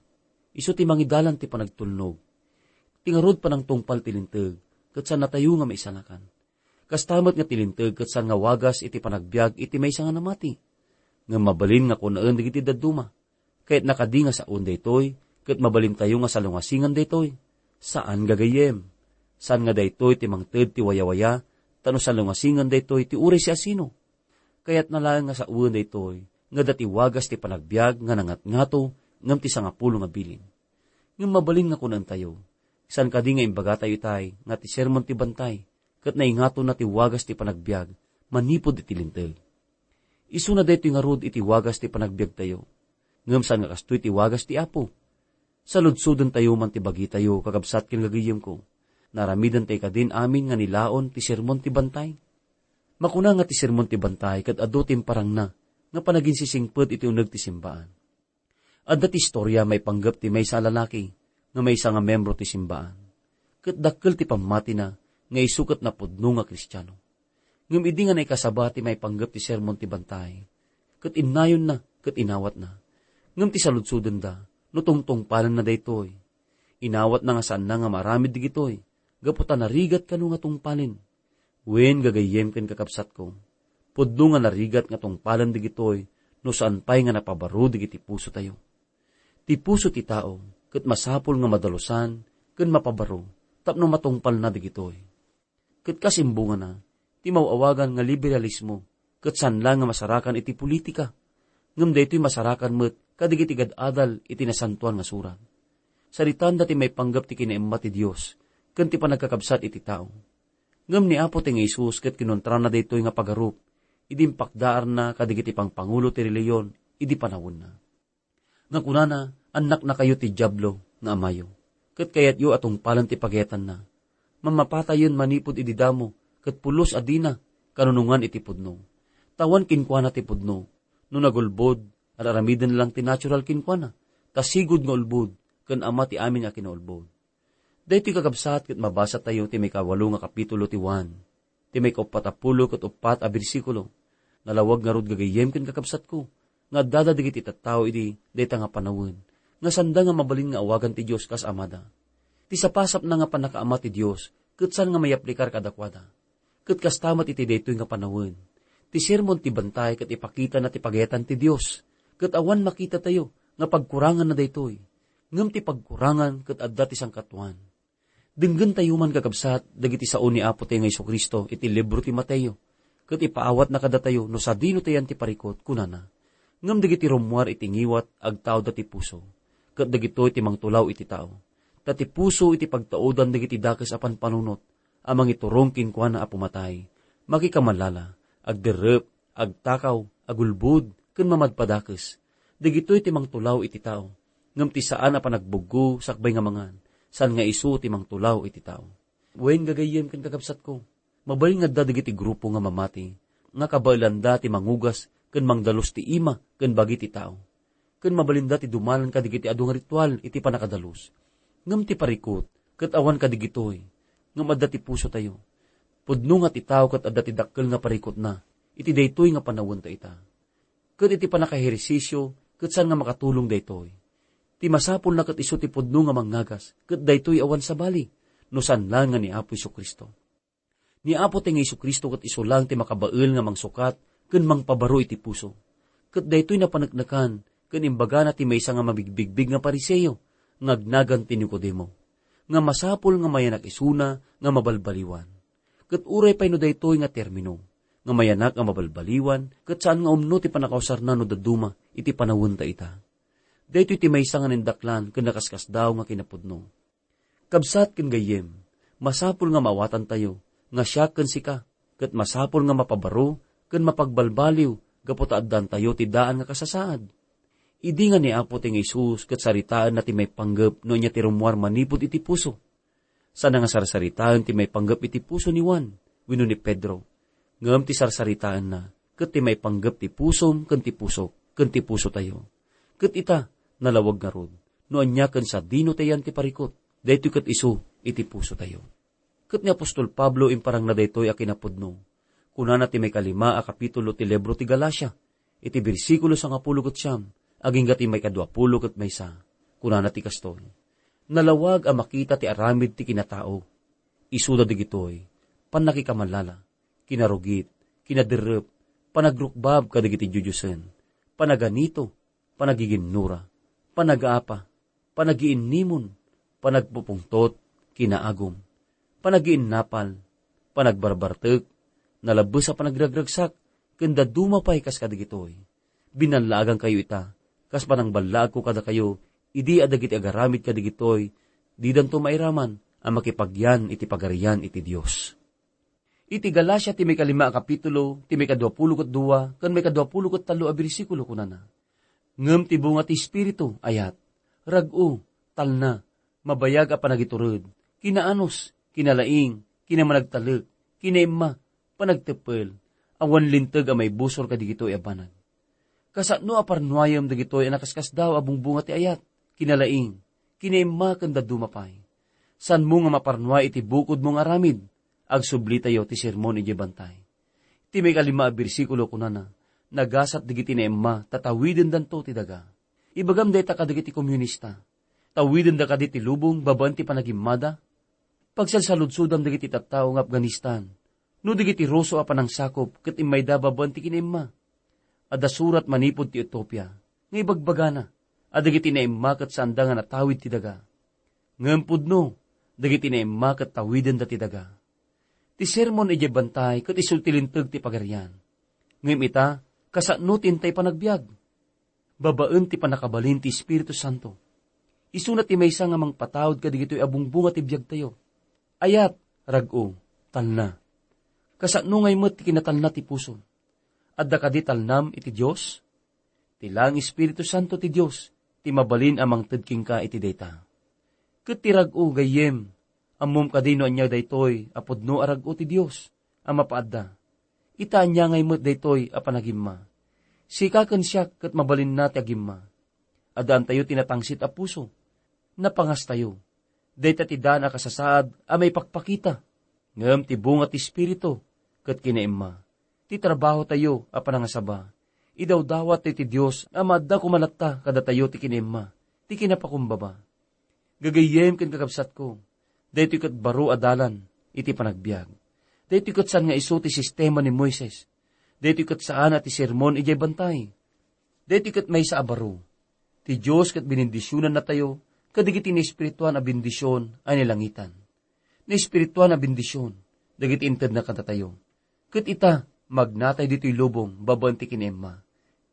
isu ti mangidalan ti panagtulnog. Ti ngarud panangtungpal ti linteg, ket saannatayo nga maisalakan. Kasta met nga ti linteg ket saan nga wagas iti panagbiag iti maysa nga namati. Ngem mabalin nga kunaen dagiti dadduma, "Kayatna kadi nga saoen daytoy, ket mabalintayo nga salungasingan daytoy?" Saan, gagayyem. Saan nga daytoy ti mangted ti wayawaya, ta no salungasingan daytoy ti uray siasino. Kayatna laeng nga sawen daytoy nga adda ti wagas ti panagbiag nga nangatngato ngem ti sangapulo nga bilin. Ngem mabalin nga kunaentayo, saan kadi nga imbagatayo itay nga ti sermon ti bantay ket naingatonna ti wagas ti panagbiag manipud iti Linteg. Isuna daytoy ngarud iti wagas ti panagbiagtayo. Ngem saan nga kastoy ti wagas ti Apo. Saludsodentayo man ti bagitayo, kakabsat ken gagayyemko. Naaramidentay kadin amin nga nilaon ti sermon ti bantay. Makuna nga ti sermon ti bantay ket adu ti imparangna nga panaginsisingpet iti uneg ti simbaan. Adda ti istoria maipanggep ti maysa a lalaki nga maysa nga membro ti simbaan. Ket dakkel ti pammatina nga isu ket napudno nga Kristiano. Ngem idi nga naikasaba ti maipanggep ti sermon ti bantay, ket innayonna ket inawatna. Ngem ti saludsodenda no tungtungpalenna daytoy. Inawatna nga saanna nga maaramid dagitoy, gapu ta narigat kano nga tungpalen. Wen, gagayyem ken kakabsatko, pudno nga narigat nga tungpalen dagitoy no saan pay nga napabaro dagiti pusotayo. Ti puso ti tao ket masapul nga madalusan ken mapabaro tapno matungpalna dagitoy. Ket kas imbungana, ti maw-awagan nga liberalismo ket saan la nga masarakan iti politika, ngem daytoy masarakan met kadagiti gad-adal iti Nasantoan nga Surat. Saritaenda ti maipanggep ti kinaimma ti Dios ken ti panagkakabsat iti tao. Ngem ni Apo ti nga Jesus ket kinontrana daytoy nga pagarup idi impakdaarna kadagiti pangpangulo ti relihiyon idi panawenna. Nga kunana, "Annaknakayo ti Diablo nga amayo, ket kayatyo a tungpalen ti pagayatanna. Mammapatayen manipud idi damo, ket pulos a dina kanunongan iti pudno. Ta awan kenkuana ti pudno. No nagulbod, ar-aramiden lang ti natural kenkuana, ta sigud nga ulbod, ken ama ti amin nga kinaulbod." Daytoy, kakabsat, ket mabasatayo ti maikawalo nga kapitulo ti Juan, ti maikauppat a pulo ket uppat a bersikulo. Nalawag ngarud, gagayyem ken kakabsatko, nga addada dagiti tattao idi dayta nga panawen, nga sanda nga mabalin nga awagan ti Dios kas Amada. Ti sapasapna nga pannakaama ti Dios ket saan nga mayaplikar kadakuada. Ket kasta met iti daytoy nga panawen. Ti sermon ti bantay ket ipakitana ti pagayatan ti Dios, ket awan makitatayo nga pagkuranganna daytoy. Ngem ti pagkurangan ket adda ti sangkatuan. Denggentayo man, kakabsat, dagiti sao ni Apotayo nga Jesu-Cristo iti libro ti Mateo, ket ipaawatna kadatayo no sadino ti ayan ti parikut, kunana: Ngem dagiti rummuar iti ngiwat agtaudda ti puso, ket dagitoy ti mangtulaw iti tao. Ta ti puso iti pagtaudan dagiti dakes a panpanunot a mangiturong kenkuana a pumatay, makikamalala, agderrep, agtakaw, agulbod, ken mamadpadakes. Dagitoy ti mangtulaw iti tao, ngem ti saan a panagbuggo sakbay nga mangan, saan nga isu ti mangtulaw iti tao. Wen, gagayyem ken kakabsatko, mabalin nga adda dagiti grupo nga mamati, nga kabaelanda ti mangugas ken mangdalus ti ima ken bagi ti tao. Ken mabalinda ti dumalan kadagiti adu nga ritual iti pannakadalus. Ngem ti parikut ket awan kadagitoy, ngem adda ti pusotayo. Pudno nga ti tao ket adda ti dakkel nga parikutna iti daytoy nga panawenta ita. Ket iti pannakaehersisio ket saan nga makatulong daytoy. Ti masapulna ket isu ti pudno nga mangngagas, ket daytoy awan sabali, no saan laeng nga ni Apo Jesu-Cristo. Ni Apo ti nga Jesu-Cristo ket isu laeng ti makabael nga mangsukat ken mangpabaro iti puso. Ket daytoy napaneknekan ken imbagana ti maysa nga mabigbigbig nga Fariseo nga agnagan ti Nicodemo, nga masapul nga mayanak isuna nga mabalbaliwan. Ket uray pay no daytoy nga termino, nga mayanak nga mabalbaliwan, ket saan nga umno ti pannakausarna no dadduma iti panawenta ita. Daytoy ti maysa nga nindaklan ken nakaskasdaaw nga kinapudno. Kabsat ken gayyem, masapul nga maawatantayo nga siak ken sika, ket masapul nga mapabaro ken mapagbalbaliw gapu ta addantayo ti daan nga kasasaad. Idi nga ni Apo ti nga Jesus ket saritaenna ti maipanggep no ania ti rummuar manipud iti puso. Sana nga sarsaritaen ti maipanggep iti puso ni Juan wenno ni Pedro, ngem ti sarsaritaenna ket ti maipanggep ti pusom ken ti pusok ken ti pusotayo. Ket ita, nalawag ngarud, no ania ken sadino ti ayan ti parikut, daytoy ket isu iti pusotayo. Ket ni apostol Pablo imparangna daytoy a kinapudno. Kunana ti maikalima a kapitulo ti libro ti Galacia, iti bersikulo sangapulo ket siam, agingga ti maikaduapulo ket maysa. Kunana ti kastoy: Nalawag a makita ti aramid ti kinatao. Isuda dagitoy: pannakikamalala, kinarugit, kinaderrep, panagrukbab kadagiti diodiosen, panaganito, panagiginnura, panagaapa, panagiinnimon, panagpupungtot, kinaagum, panagiinnapal, panagbarbartek, nalabbes a panagragragsak, ken dadduma pay kas kadagitoy. Binallaagankayo ita, kas panangballaagko kadakayo, idi a dagiti agaramid kadagitoy, didanto mairaman a makipagyan iti Pagarian iti Dios. Iti Galacia ti maikalima a kapitulo, ti maikaduapulo ket dua ken maikaduapulo ket tallo a bersikulo, kunana: Ngem ti bunga ti Espiritu, ayat, rag-o, talna, mabayag a panagitured, kinaanus, kinalaing, kinamanagtalek, kinaimma, panagteppel, awan linteg a maibusor kadagitoy a banag. Kasano a parnuayem dagitoy a nakaskasdaaw a bungbunga ti ayat, kinalaing, kinaimma ken dadduma pay? Saanmo nga maparnuay iti bukodmo nga aramid? Agsublitayo ti sermon idiay bantay. Ti maikalima a bersikulo kunana: Nagasat dagiti naimma ta tawidendanto ti daga. Ibagam dayta kadagiti komunista. Tawidenda kadi ti lubong babaen ti panagimmada? Pagsalsaludsodam dagiti tattao nga Afghanistan, no dagiti Ruso a panangsakop ket immayda babaen ti kinaimma. Adda surat manipud ti Ethiopia nga ibagbagana a dagiti naimma ket saanda nga natawid ti daga. Ngem pudno, dagiti naimma ket tawidenda ti daga. Ti sermon idiay bantay ket isu ti linteg ti Pagarian. Ngem ita, kasano ti intay panagbiag? Babaen ti pannakabalin ti Espiritu Santo. Isuna ti maysa nga mangpataud kadagitoy a bungbunga ti biagtayo. Ayat, rag-o, talna. Kasano ngay met ti kinatalna ti puso? Adda kadi talnam iti Dios? Ti laeng Espiritu Santo ti Dios ti mabalin a mangted kenka iti dayta. Ket ti rag-o, gayyem, ammom kadi no ania daytoy a pudno a rag-o ti Dios a mapaadda? Ita, ania ngay met daytoy a panagimma? Sika ken siak ket mabalinna ti agimma. Addaantayo ti natangsit a puso. Napangastayo. Dayta ti daan a kasasaad a maipakpakita. Ngem ti bunga ti Espiritu ket kinaimma. Ti trabahotayo a panangasaba, idawdawat ti Dios a maadda koma latta kadatayo ti kinaimma, ti kinapakumbaba. Gagayyem ken kakabsatko, daytoy ket baro a dalan iti panagbiag. Daytoy ket saan nga isu ti sistema ni Moises. Daytoy ket saan a ti sermon idiay bantay. Daytoy ket maysa a baro. Ti Dios ket benendisionannatayo kadagiti naespirituan a bendision a nilangitan. Naespirituan a bendision dagiti intedna kadatayo. Ket ita, magnatay ditoy lubong babaen ti kinaimma.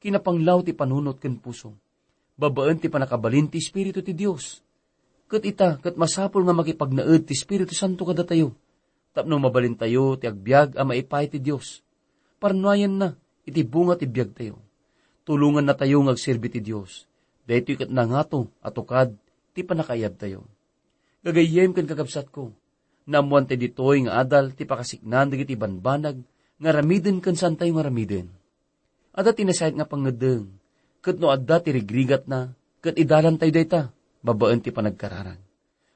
Kinapanglaw ti panunot ken puso. Babaen ti pannakabalin ti Espiritu ti Dios. Ket ita, ket masapul nga makipagnaed ti Espiritu Santo kadatayo, tapno mabalintayo ti agbiag a maipaay ti Dios. Parnuayenna iti bunga ti biagtayo. Tulongannatayo nga agserbi ti Dios. Daytoy ket nangato a tukad ti pannakaayabtayo. Gagayyem ken kakabsatko, naammoantayo ditoy nga adal ti pakasiknaan dagiti banbanag nga aramiden ken saantayo nga aramiden. Adda ti nasayaat nga pangngeddeng, ket no adda ti rigrigatna, ket idalantayo dayta babaen ti panagkararag.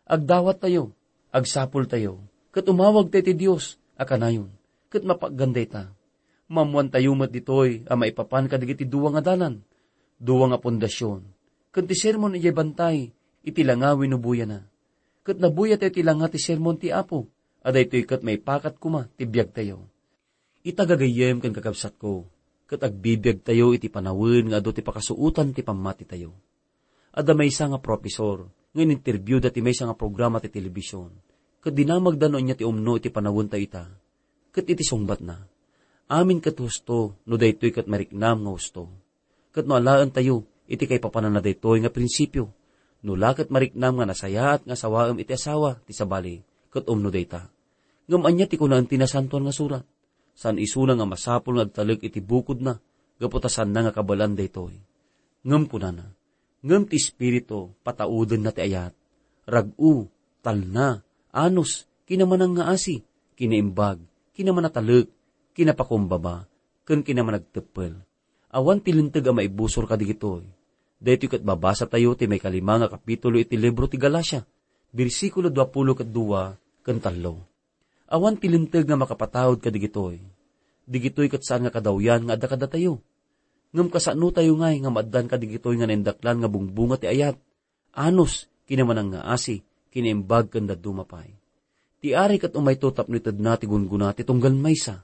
Agdawattayo, agsapultayo, ket umawagtayo ti Dios a kanayon, ket mapaggan dayta. Maammoantayo met ditoy a maipapan kadagiti dua nga dalan, dua nga pundasion, ken ti sermon idiay bantay iti langa wenno buyana. Ket nabuyatayo ti langa ti sermon ti Apo, a daytoy ket maipakat koma ti biagtayo. Ita gagayyem ken kakabsatko, ket agbibiagtayo iti panawen nga adu ti pakasuotan ti pammatitayo. Adda maysa nga profesor nga ininterbiuda ti maysa nga programa ti telebision, ket dinamagda no ania ti umno iti panawentayo ita. Ket iti sungbatna, amin ket husto no daytoy ket mariknam nga husto. Ket no alaentayo iti kaipapananna daytoy nga prinsipio, no la ket mariknam nga nasayaat nga asawaem iti asawa ti sabali, ket umno dayta. Ngem ania ti kunaen ti Nasantoan nga Surat? Saan isuna nga masapul nga agtalek iti bukodna gapu ta saanna nga kabaelan daytoy. Ngem kunana, ngem ti Espiritu pataudenna ti ayat, rag-o, talna, anus, kinamanangngaasi, kinaimbag, kinamanatalek, kinapakumbaba, ken kinamanagteppel. Awan ti linteg a maibusor kadagitoy. Daytoy ket babasatayo ti maikalima nga kapitulo iti libro ti Galacia, bersikulo duapulo ket dua ken tallo. Awan ti linteg nga makapataud kadagitoy. Digitoy ket saan nga kadawyan nga adda kadatayo. Ngem kasanotayo ngay nga maaddan kadagitoy nga naindaklan nga bungbunga ti ayat, anus, kinamanangngaasi, kinaimbag ken dadduma pay. Ti Ari ket umayto tapno itedna ti gunggona ti tunggal maysa.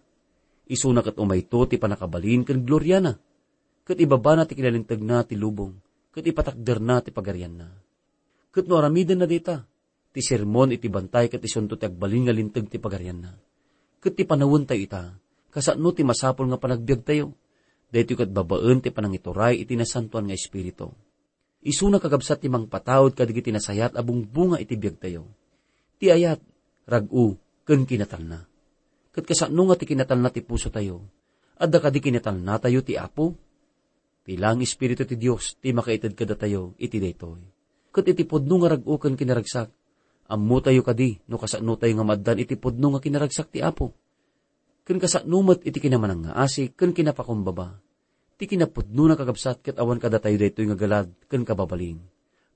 Isuna ket umayto ti pannakabalin ken gloriana. Ket ibabana ti kinalintegna ti lubong, ket ipatakderna ti pagarianna. Ket no aramidenna dayta, ti sermon iti bantay ket isunto ti agbalin nga linteg ti pagarianna. Ket ti panawentayo ita, kasano ti masapul nga panagbiagtayo? Daytoy ket babaen ti panangituray iti Nasantoan nga Espiritu. Isuna kakabsat ti mangpataud kadagiti nasayaat a bungbunga iti biagtayo. Ti ayat, rag-o, ken kinatalna. Ket kasano nga ti kinatalna ti pusotayo? Adda kadi kinatalnatayo ti Apo? Ti laeng Espiritu ti Dios ti makaited kadatayo iti daytoy. Ket iti pudno nga rag-o ken kinaragsak, ammotayo kadi no kasanotayo nga maaddan iti pudno nga kinaragsak ti Apo. Ken kasano met iti kinamanangngaasi ken kinapakumbaba. Ti kinapudnona, kakabsat, ket awan kadatayo daytoy nga galad ken kababalin,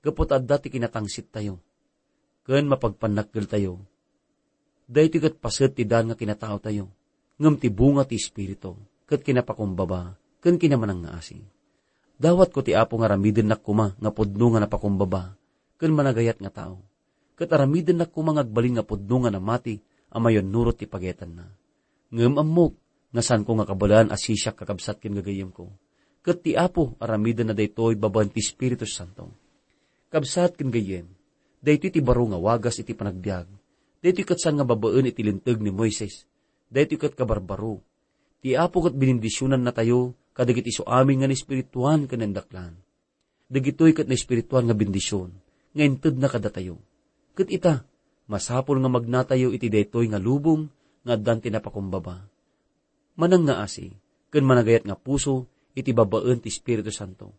gapu ta adda ti kinatangsittayo ken mapagpannakkeltayo. Daytoy ket paset ti daan nga kinataotayo, ngem ti bunga ti Espiritu, ket kinapakumbaba ken kinamanangngaasi. Dawatko ti Apo nga aramidennak koma nga pudno nga napakumbaba ken managayat nga tao, ket aramidennak koma nga agbalin nga pudno nga namati a mayannurot ti pagayatanna. Ngem ammok nga saanko nga kabaelan a sisiak, kakabsat ken gagayyemko, ket ti Apo aramidenna daytoy babaen ti Espiritu Santo. Kabsat ken gayyem, daytoy ti baro nga wagas iti panagbiag. Daytoy ket saan nga babaen iti linteg ni Moises. Daytoy ket kabarbaro. Ti Apo ket benendisionannatayo kadagiti isu amin nga naespirituan ken naindaklan. Dagitoy ket naespirituan nga bendision nga intedna kadatayo. Ket ita, masapul nga magnatayo iti daytoy nga lubong nga addan ti napakumbaba, manangngaasi, ken managayat nga puso iti babaen ti Espiritu Santo.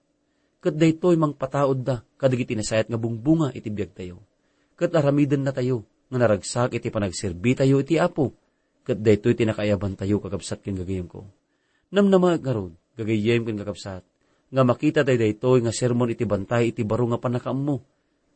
Ket daytoy mangpataudda kadagiti nasayaat nga bungbunga iti biagtayo. Ket aramidennatayo nga naragsak iti panagserbitayo iti Apo, ket daytoy ti nakaayabantayo, kakabsat ken gagayyemko. Namnamaek ngarud, gagayyem ken kakabsat, nga makitatayo daytoy nga sermon iti bantay iti baro nga pannakaammo.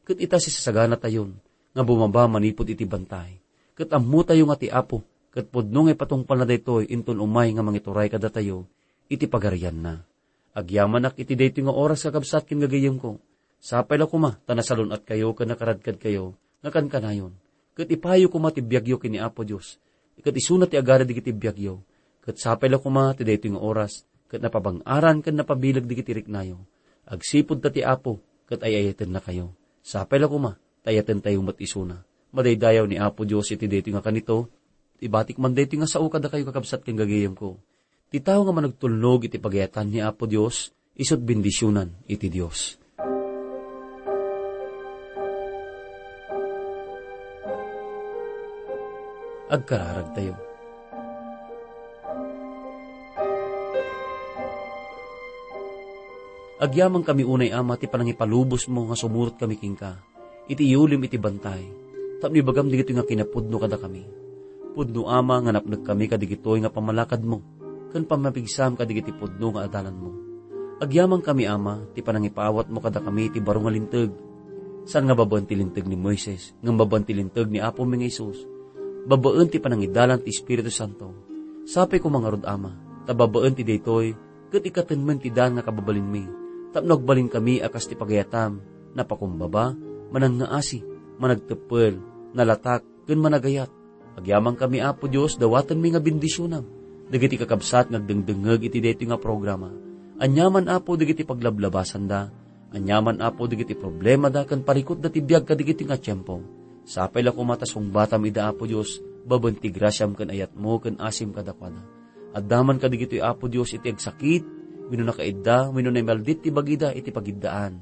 Ket ita, sisasaganatayon nga bumaba manipud iti bantay. Ket ammotayo nga ti Apo, ket pudno nga ipatungpalna daytoy inton umay nga mangituray kadatayo iti pagarianna. Agyamanak iti daytoy nga oras, kakabsat ken gagayyemko. Sapay la koma ta nasalun-atkayo ken nakaradkadkayo nga kankanayon. Ket ipayo koma ti biagyo ken ni Apo Dios. Ket isuna ti agari dagiti biagyo. Ket sapay la koma ti daytoy nga oras, ket napabang-aran ken napabileg dagiti riknayo. Agsipud ta ti Apo ket ay-ayatennakayo. Sapay la koma ta ayatentayo met isuna. Madaydayaw ni Apo Dios iti daytoy nga kanito. Ibatik man daytoy nga sao kadakayo, kakabsat ken gagayyemko. Ti tao nga managtulnog iti pagayatan ni Apo Dios, isut' bendisionan iti Dios. Agkararagtayo. Agyamankami unay, Ama, ti panangipalubosmo nga sumurotkami kenka iti iyulim iti bantay, tapno ibagam dagitoy nga kinapudno kadakami. Pudno, Ama, nga napnekkami kadigitoy nga pammalakadmo, ken pammapigsam kadigiti pudno nga adalanmo. Agyamankami, Ama, ti panangipaawatmo kadakami ti baro nga linteg, saan nga babaen ti linteg ni Moises, ngem babaen ti linteg ni Apomi nga Jesus, babaen ti panangidalan ti Espiritu Santo. Sapay koma ngarud, Ama, ta babaen ti daytoy, ket ikkatenmen ti daan nga kababalinmi, tapno agbalinkami a kas ti pagayatam, napakumbaba, manangngaasi, managteppel, nalatak, ken managayat. Agyamankami, Apo Dios, dawatenmi nga bendisionam dagiti kakabsat nga agdengdengngeg iti daytoy nga programa. Aniaman, Apo, dagiti paglablabasanda, aniaman, Apo, dagiti problemada ken parikutda ti biag kadigitoy nga tiempo. Sapay la koma ta sungbatam ida, Apo Dios, babaen ti grasiam ken ayatmo ken asim kadakuada. Adda man kadigitoy, Apo Dios, iti agsakit, wenno nakaidda, wenno naimaldit ti bagida iti pagiddaan.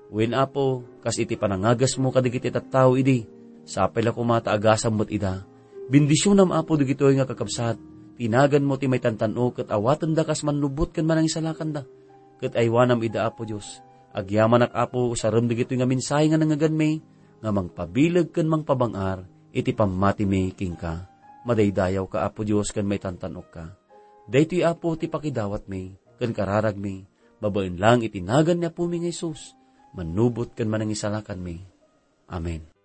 Wen, Apo, kas iti panangagasmo kadigiti tattao idi, sapay la koma ta agasam met ida. Bendisionam, Apo, dagitoy nga kakabsat, ti naganmo ti maitantan-ok ket awatenda kas mannubot ken manangisalakanda. Ket aywanam ida, Apo Dios. Agyamanak, Apo, usarem dagitoy nga mensahe nga nangngeganmi, nga mangpabileg ken mangpabang-ar iti pammatimi kenka. Madaydayawka, Apo Dios, ken maitantan-okka. Daytoy, Apo, ti pakidawatmi ken kararagmi, babaen lang iti nagan ni Apomi nga Jesus, mannubot ken manangisalakanmi. Amen.